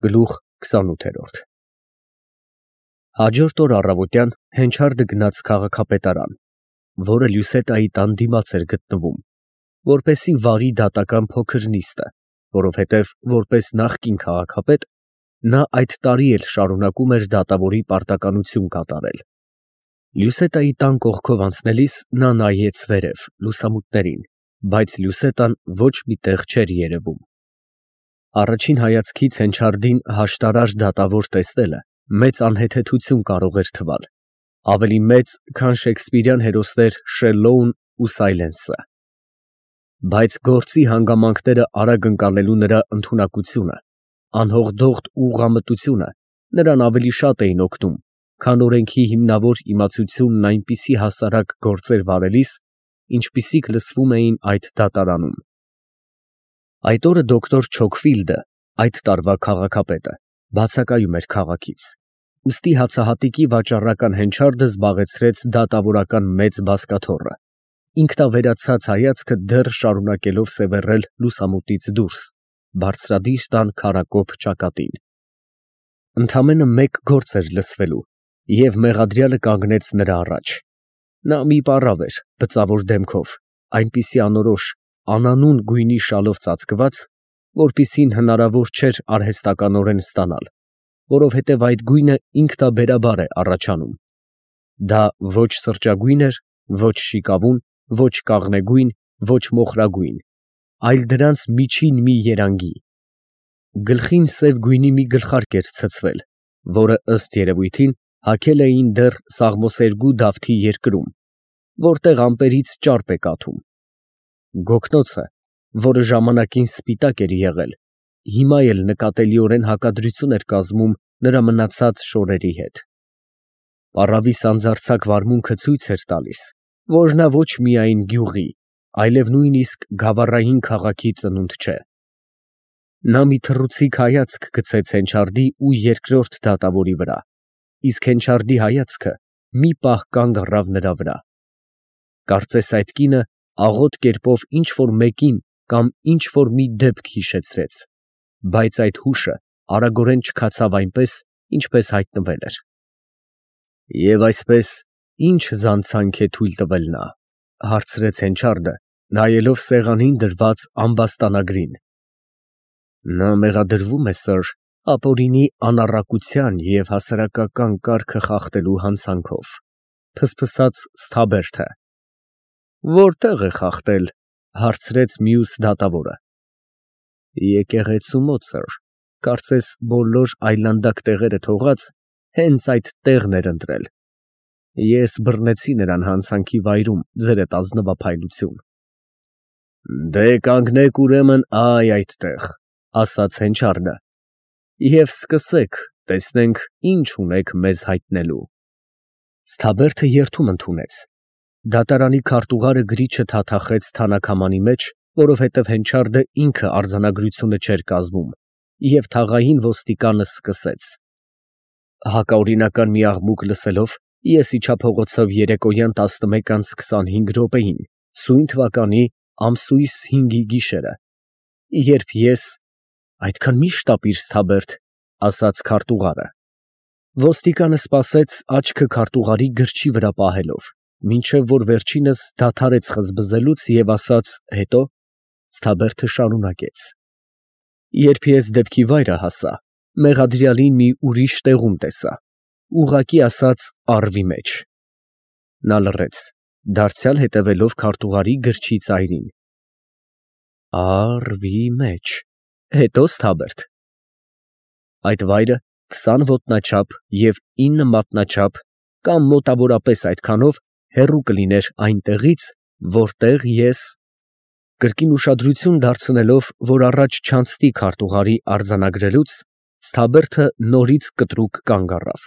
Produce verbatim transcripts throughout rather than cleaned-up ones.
Գլուխ քսանութ Հաջորդ օր առավոտյան Հենչարդը գնաց քաղաքապետարան, որը Լյուսետայի տան դիմաց էր գտնվում, որպեսզի վարի դատական փոքր նիստը, որովհետև որպես նախկին քաղաքապետ նա այդ տարի էլ շարունակում էր դատավորի պարտականություն կատարել։ Լյուսետայի տան կողքով անցնելիս նա նայեց վերև լուսամուտներին, բայց Լյուսետան ոչ մի տեղ չէր երևում։ Առաջին հայացքից Հենչարդին հաշտարար դատավոր տեսնելը մեծ անհեթեթություն կարող էր թվալ, ավելի մեծ, քան շեքսպիրյան հերոսներ Շելլոուն ու Սայլենսը։ Բայց գործի հանգամանքները արագ ընկալելու նրա ընդունակությունը, անհողդողդ ուղղամտությունը նրան ավելի շատ էին օգնում, քան օրենքի հիմնավոր իմացությունն այնպիսի հասարակ գործեր վարելիս, ինչպիսիք լսվում էին այդ դատարանում։ Այդ օրը դոկտոր Չոքֆիլդը, այդ տարվա քաղաքապետը, բացակայում էր քաղաքից, ուստի հացահատիկի վաճառական Հենչարդը զբաղեցրեց դատավորական մեծ բազկաթոռը, ինքնավերացած հայացքը դեռ շարունակելով սևեռել լուսամուտից դուրս, բարձրադիր տան քարակոպ ճակատին։ Ընդամենը մեկ գործ էր լսվելու, և մեղադրյալը կանգնեց նրա առաջ։ Նա մի պառավ էր, բծավոր դեմքով, այնպիսի անորոշ, անանուն գույնի շալով ծածկված, որպիսին հնարավոր չէր արհեստականորեն ստանալ, որովհետև այդ գույնը ինքնաբերաբար է առաջանում։ Դա ոչ սրճագույն էր, ոչ շիկավուն, ոչ կաղնեգույն, ոչ մոխրագույն, այլ դրանց միջին մի երանգի։ Գլխին սև գույնի մի գլխարկ էր ցցվել, որը ըստ երևույթին հագել էին դեռ Սաղմոսերգու Դավթի երկրում, որտեղ ամպերից ճարպ է կաթում։ Գոգնոցը, որը ժամանակին սպիտակ էր եղել, հիմա էլ նկատելիորեն հակադրություն էր կազմում նրա մնացած շորերի հետ։ Պառավի սանձարձակ վարմունքը ցույց էր տալիս, որ նա ոչ միայն գյուղի, այլև նույնիսկ գավառային քաղաքի ծնունդ չէ։ Նա մի թռուցիկ հայացք գցեց Հենչարդի ու երկրորդ դատավորի վրա, իսկ Հենչարդի հայացքը մի պահ կանգ առավ նրա վրա։ Կարծես այդ կինը աղոտ կերպով ինչ֊որ մեկին կամ ինչ֊որ մի դեպք հիշեցրեց, բայց այդ հուշը արագորեն չքացավ այնպես, ինչպես հայտնվել էր։ «Եվ այսպես ի՞նչ զանցանք է թույլ տվել նա», ֊ հարցրեց Հենչարդը, նայելով սեղանին դրված ամբաստանագրին։ «Նա մեղադրվում է, սըր, ապօրինի անառակության և հասարակական կարգը խախտելու հանցանքով», ֊ փսփսաց Սթաբերթը։ «Որտե՞ղ է խախտել», ֊ հարցրեց մյուս դատավորը։ «Եկեղեցու մոտ, սըր, կարծես բոլոր այլանդակ տեղերը թողած, հենց այդ տեղն էր ընտրել։ Ես բռնեցի նրան հանցանքի վայրում ձերդ ազնվափայլություն»։ «Դե կանգնեք ուրեմն այ այդտեղ», ֊ ասաց Հենչարդը, «և սկսեք, տեսնենք ինչ ունեք մեզ հայտնելու»։ Սթաբերթը երդում ընդունեց։ Դատարանի քարտուղարը գրիչը թաթախեց թանաքամանի մեջ, որովհետև Հենչարդը ինքը արձանագրությունը չէր կազմում, և թաղային ոստիկանը սկսեց. «Հակաօրինական մի աղմուկ լսելով, ես իջա փողոցով երեկոյան տասնմեկ անց քսանհինգ րոպեին, սույն թվականի ամսույս հինգի գիշերը, երբ ես…» «Այդքան մի շտապիր, Սթաբերդ», ֊ ասաց քարտուղարը։ Ոստիկանը սպասեց աչքը քարտուղարի գրչի վրա պահելով, մինչև որ վերջինս դադարեց խզբզելուց և ասաց. «Հետո»։ Սթաբերդը շարունակեց. «Երբ ես դեպքի վայրը հասա, մեղադրյալին մի ուրիշ տեղում տեսա, ուղղակի ասած առվի մեջ»։ Նա լռեց, դարձյալ հետևելով քարտուղարի գրչի ծայրին։ «Առ֊վի մեջ, հետո՞, Սթաբերդ»։ «Այդ վայրը քսան ոտնաչափ և ինը մատնաչափ կամ մոտավորապես այդքանով հեռու կլիներ այնտեղից, որտեղ ես…»։ Կրկին ուշադրություն դարձնելով, որ առաջ չանցնի քարտուղարի արձանագրելուց, Սթաբերթը նորից կտրուկ կանգ առավ։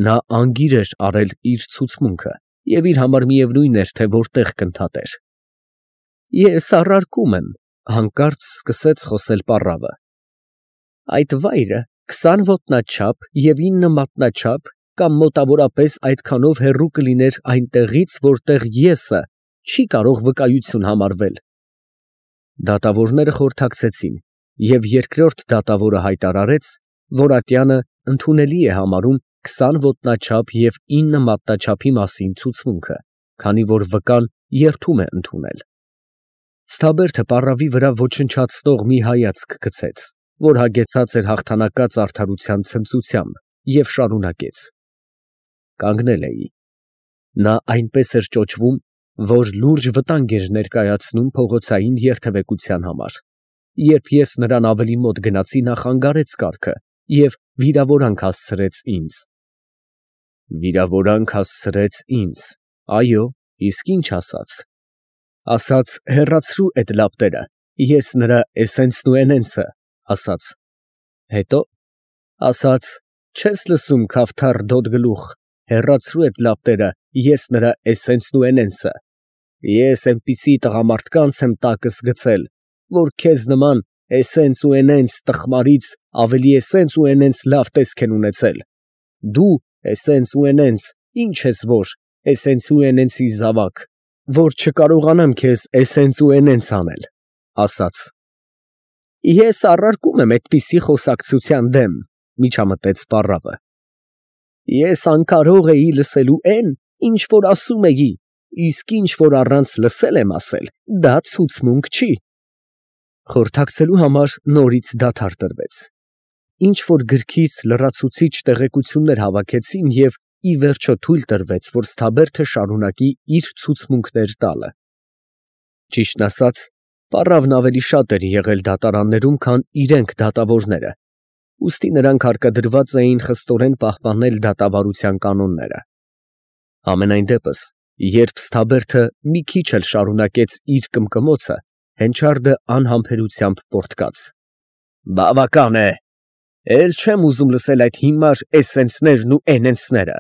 Նա անգիր էր արել իր ցուցմունքը և իր համար միևնույն էր, թե որտեղ կընդհատեր։ «Ես առարկում եմ», ֊ հանկարծ սկսեց խոսել պառավը, «այդ վայրը քսան ոտնաչափ և ինը մատնաչափ կամ մոտավորապես այդքանով հեռու կլիներ այնտեղից, որտեղ եսը չի կարող վկայություն համարվել»։ Դատավորները խորհրդակցեցին, և երկրորդ դատավորը հայտարարեց, որ ատյանը ընդունելի է համարում քսան ոտնաչափ և ինը մատնաչափի մասին ցուցմունքը, քանի որ վկան երդում է ընդունել։ Ստաբերդը պառավի վրա ոչնչացնող մի հայացք գցեց, որ հագեցած էր հաղթանակած արդարության ցնծությամբ, և շարունակեց. կանգնել էի։ Նա այնպես էր ճոճվում, որ լուրջ վտանգ էր ներկայացնում փողոցային երթևեկության համար։ Երբ ես նրան ավելի մոտ գնացի, նա խանգարեց կառքը և վիրավորանք հասցրեց ինձ։ Վիրավորանք հասցրեց ինձ, այո, իսկ ինչ ասաց։ Ասաց հեռացրու էդ լապտերը, ես նրա էսենսն ու էնենսը, ասաց։ Հետո ասաց չես լսում, քավթառ դոդ գլուխ, հեռացրու էդ լապտերը, ես նրա էսենսն ու էնենսը։ Ես էնպիսի տղամարդկանց եմ տակս գցել, որ քեզ նման էսենս ու էնենս տխմարից ավելի էսենս ու էնենս լավ տեսք են ունեցել։ Դու էսենս ու էնենս, ինչ ես որ, էսենս ու էնենսի զավակ, որ չկարողանամ քեզ էսենս ու էնենս անել, ասաց։ Ես առարկում եմ այդպիսի խոսակցության դեմ, միջամտեց պառավը։ Ես անկարող էի լսելու էն, ինչ որ ասում էի, իսկ ինչ որ առանց լսել եմ ասել, դա ցուցմունք չի։ Խորհրդակցելու համար նորից դադար տրվեց։ Ինչ որ գրքից լրացուցիչ տեղեկություններ հավաքեցին և ի վերջո թույլ տրվեց, որ Ստաբերդը շարունակի իր ցուցմունքներ տալը։ Ճիշտն ասած, պառավն ավելի շատ էր եղել դատարաններում, քան իրենք դատավորները, ուստի նրանք հարկադրված էին խստորեն պահպանել դատավարության կանոնները։ Համենայն դեպս, երբ Ստաբերդը մի քիչ էլ շարունակեց իր կմկմոցը, հենչարդը անհամբերությամբ պոռթկաց. Բավական է, էլ չեմ ուզում լսել այդ հիմար էսենսներն ու էնենսները։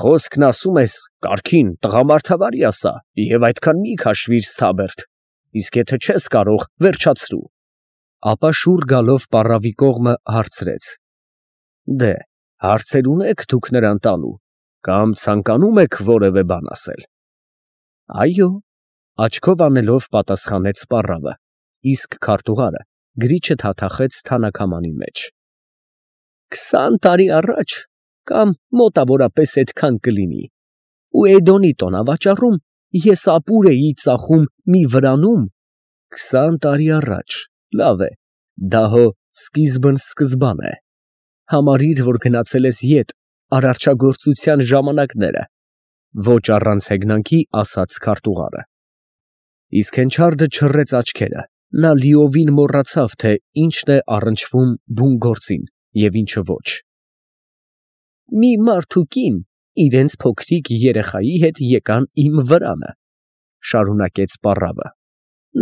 Խոսքն ասում ես, կարգին տղամարդավարի ասա և այդքան մի քաշվիր, Ստաբերդ, իսկ եթե չես կարող, վերջացրու։ Ապա շուռ գալով պառավի կողմը հարցրեց. Դե, հարցեր ունե՞ք դուք նրան տալու, կամ ցանկանում եք որևէ բան ասել։ Այո, աչքով անելով պատասխանեց պառավը, իսկ քարտուղարը գրիչը թաթախեց թանաքամանի մեջ։ Քսան տարի առաջ, կամ մոտավորապես այդքան կլինի, ու Էդոնի տոնավաճառում ես ապուր էի ծախում մի վրանում, քսան տարի առաջ, լավ է, դա հո սկիզբն սկզբան է, համարիր, որ գնացել ես ետ արարչագործության ժամանակները, ոչ առանց հեգնանքի ասաց քարտուղարը։ Իսկ հենչարդը չռեց աչքերը, նա լիովին մոռացավ, թե ինչն է առնչվում բուն գործին և ինչը ոչ։ Մի մարդ ու կին իրենց փոքրիկ երեխայի հետ եկան իմ վրանը, շարունակեց պառավը։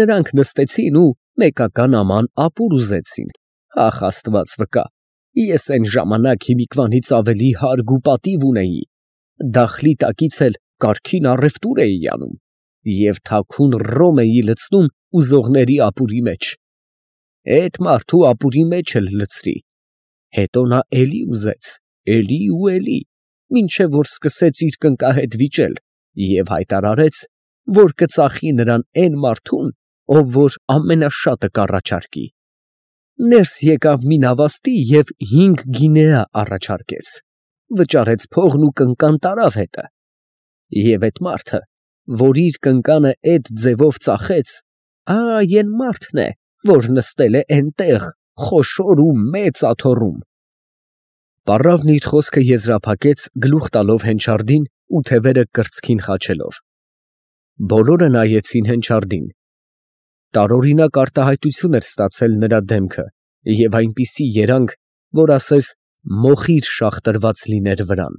Նրանք նստեցին ու մեկական աման ապուր ուզեցին, ախ աստված վկա, ես այն ժամանակ հիմիկվանից ավելի հարգ ու պատիվ ունեի, դախլի տակից էլ կարգին առևտուր էի անում և թաքուն ռոմ էի լցնում ուզողների ապուրի մեջ, էդ մարդու ապուրի մեջ էլ լցրի, հետո նա էլի ուզեց, էլի ու էլի, մինչև որ սկսեց իր կնկահետ վիճել և հայտարարեց, որ կծախի նրան էն մարդուն, ով որ ամենաշատը կառաջարկի։ Ներս եկավ մի նավաստի և հինգ գինեա առաջարկեց, վճարեց փողն ու կնկան տարավ հետը։ Եվ էդ մարդը, որ իր կնկանը էդ ձևով ծախեց, ա, էն մարդն է, որ նստել է էնտեղ, խոշոր ու մեծ աթոռում։ Պառավն իր խոսքը եզրափակեց գլուխ տալով հենչարդին ու թևերը կրծքին խաչելով։ Բոլորը նայեցին հենչարդին։ Տարօրինակ արտահայտություն էր ստացել նրա դեմքը և այնպիսի երանգ, որ ասես մոխիր շաղ տրված լիներ վրան։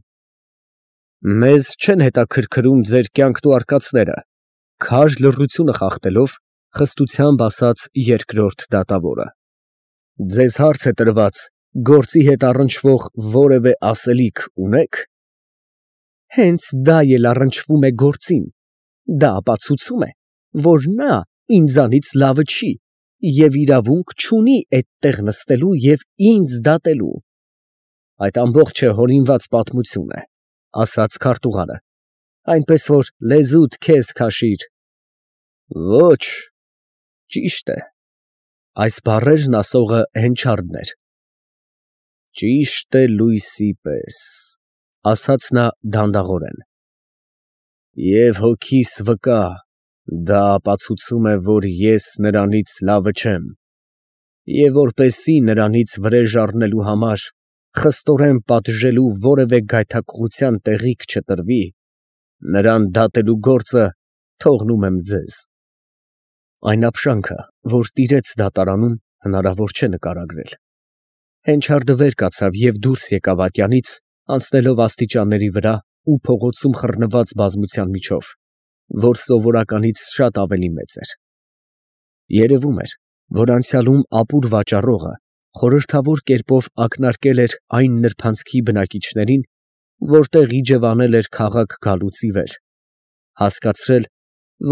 Մեզ չեն հետաքրքրում ձեր կյանքն ու արկածները, քար լռությունը խախտելով, խստությամբ ասաց երկրորդ դատավորը։ Ձեզ հարց է տրված, գործի հետ առնչվող որևէ ասելիք ունե՞ք։ Հենց դա էլ առնչվում է գործին, դա ապացուցում է, որ նա ինձանից լավը չի և իրավունք չունի էդտեղ նստելու և ինձ դատելու։ Այդ ամբողջը հորինված պատմություն է, ասաց քարտուղարը, այնպես որ լեզուդ քեզ քաշիր։ Ոչ, ճիշտ է։ Այս բառերն ասողը հենչարդն էր։ Ճիշտ է լույսի պես, ասաց նա դանդաղորեն։ Եվ հոգիս վկա, դա ապացուցում է, որ ես նրանից լավը չեմ, և որպեսզի նրանից վրեժ առնելու համար խստորեն պատժելու որևէ գայթակղության տեղիք չտրվի, նրան դատելու գործը թողնում եմ ձեզ։ Այն ապշանքը, որ տիրեց դատարանում, հնարավոր չէ նկարագրել։ Հենչարդը վեր կացավ և դուրս եկավ ատյանից, անցնելով աստիճանների վրա ու փողոցում խռնված բազմության միջով, որ սովորականից շատ ավելի մեծ էր։ Երևում էր, որ անցյալում ապուր վաճառողը խորհրդավոր կերպով ակնարկել էր այն նրբանցքի բնակիչներին, որտեղ իջևանել էր քաղաք գալուց ի վեր, հասկացրել,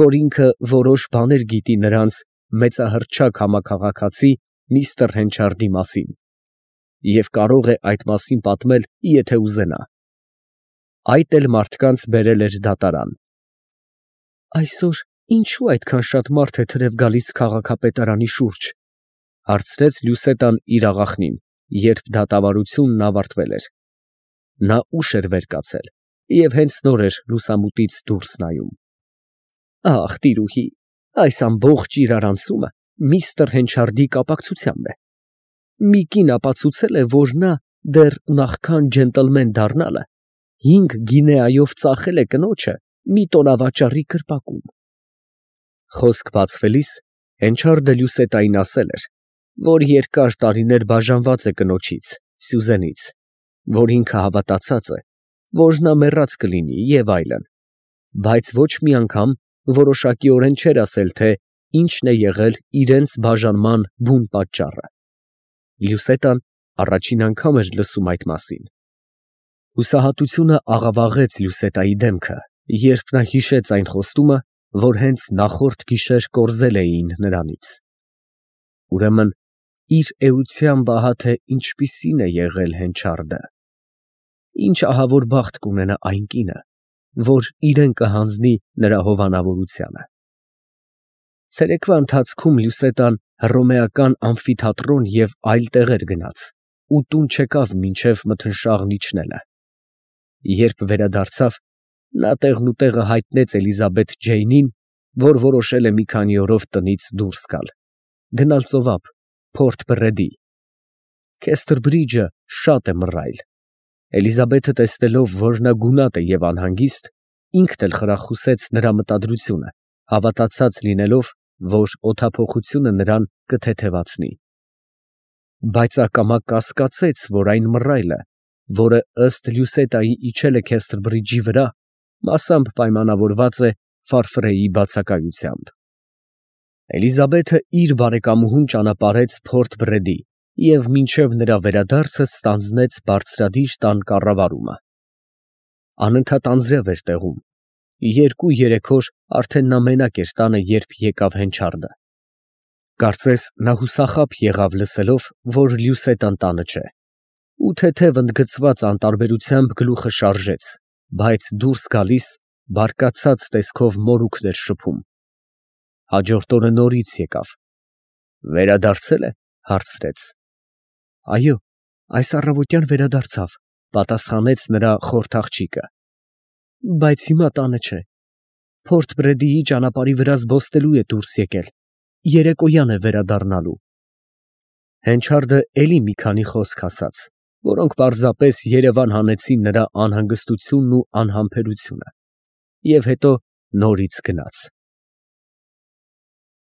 որ ինքը որոշ բաներ գիտի նրանց մեծահռչակ համաքաղաքացի միստր Հենչարդի մասին և կարող է այդ մասին պատմել, եթե ուզենա։ Այդ էլ մարդկանց բերել էր դատարան։ Այսօր ինչո՞ւ այդքան շատ մարդ է թրև գալիս քաղաքապետարանի շուրջ, ֊ հարցրեց Լյուսետան իր աղախնին, երբ դատավարությունն ավարտվել էր։ Նա ուշ էր վեր կացել և հենց նոր էր լուսամուտից դուրս նայում։ Ախ, տիրուհի, այս ամբողջ իրարանցումը միստր Հենչարդի կապակցությամբ է։ Մի կին ապացուցել է, որ նա դեռ նախքան ջենտլմեն դառնալը հինգ գինեայով ծախել է կնոջը մի տոնավաճառի կրպակում։ Խոսք բացվելիս Հենչարդը Լյուսետային ասել էր, որ երկար տարիներ բաժանված է կնոջից, Սյուզենից, որ ինքը հավատացած է, որ նա մեռած կլինի և այլն, բայց ոչ մի անգամ որոշակիորեն չէր ասել, թե ինչն է եղել իրենց բաժանման բուն պատճառը։ Լյուսետան առաջին անգամ էր լսում այդ մասին։ Հուսահատությունը աղավաղեց Լյուսետայի դեմքը, երբ նա հիշեց այն խոստումը, որ հենց նախորդ գիշեր կորզել էին նրանից։ Ուրեմն իր էությամբ ահա թե ինչպիսին է եղել Հենչարդը։ Ինչ ահավոր բախտ կունենա այն կինը, որ իրեն կհանձնի նրա հովանավորությանը։ Ցերեկվա ընթացքում Լյուսետան հռոմեական ամֆիթատրոն և այլ տեղեր գնաց ու տուն չեկավ մինչև մթնշաղն իջնելը։ Երբ վերադարձավ, նա տեղնուտեղը հայտնեց Էլիզաբեթ Ջեյնին, որ որոշել է մի քանի օրով տնից դուրս գալ, գնալ ծովափ, Փորթ Բռեդի։ Քեսթրբրիջը շատ է մռայլ։ Էլիզաբեթը տեսնելով, որ նա գունատ է և անհանգիստ, ինքն էլ խրախուսեց նրա մտադրությունը, հավատացած լինելով, որ օդափոխությունը նրան կթեթևացնի։ Բայց ակամա կասկածեց, որ այն մռայլը, որը ըստ Լյուսետայի իջել է Քեսթրբրիջի վրա, մասամբ պայմանավորված է Ֆարֆրեի բացակայությամբ։ Էլիզաբեթը իր բարեկամուհուն ճանապարհեց Փորթ Բռեդի և մինչև նրա վերադարձը ստանձնեց բարձրադիր տան կառավարումը։ Անընդհատ անձրև էր տեղում։ Երկու֊երեք օր արդեն նա մենակ էր տանը, երբ եկավ Հենչարդը։ Կարծես նա հուսախաբ եղավ լսելով, որ Լյուսետան տանը չէ, ու թեթև ընդգծված անտարբերությամբ գլուխը շարժեց, բայց դուրս գալիս բարկացած տեսքով մորուքն էր շփում։ Հաջորդ օրը նորից եկավ։ Վերադարձե՞լ է, ֊ հարցրեց։ Այո, այս առավոտյան վերադարձավ, ֊ պատասխանեց նրա խորթ աղջիկը։ Բայց հիմա տանը չէ։ Փորթ Բռեդիի ճանապարհի վրա զբոսնելու է դուրս եկել, երեկոյան է վերադառնալու։ Հենչարդը էլի մի քանի խոսք ասաց, որոնք պարզապես երևան հանեցին նրա անհանգստությունն ու անհամբերությունը, և հետո նորից գնաց։